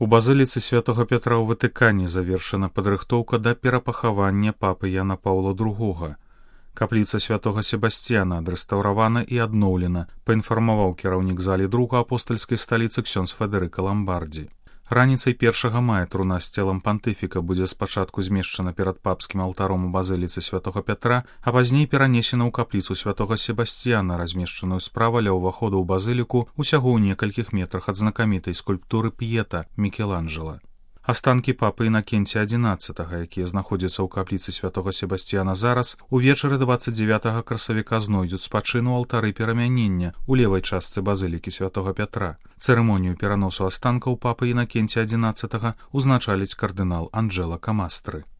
У базыліцы святога Пятра ў Ватыкане завершана падрыхтоўка да перапахавання папы Яна Паўла II. Капліца святога Себасцьяна адрэстаўравана і адноўлена, паінфармаваў кіраўнік залі друга апостальскай сталіцы ксёндз Федэрыка Ламбардзі. Раніцай 1 мая труна з целам пантыфіка будзе спачатку змешчана перад папскім алтаром у базыліцы святога Пятра, а пазней перанесена ў капліцу святога Себасцьяна, размешчаную справа ля ўваходу ў базыліку усяго ў некалькіх метрах ад знакамітай скульптуры П'ета Мікеланджэла. Астанкі папы Інакенція XI, якія знаходзяцца ў капліцы святога Себасцьяна зараз, увечары 29 красавіка знойдуць спачыну алтары перамянення ў левай частцы базылікі святога Пятра. Цырымонію пераносу астанкаў папы Інакенція XI узначаліць кардынал Анджэла Камастры.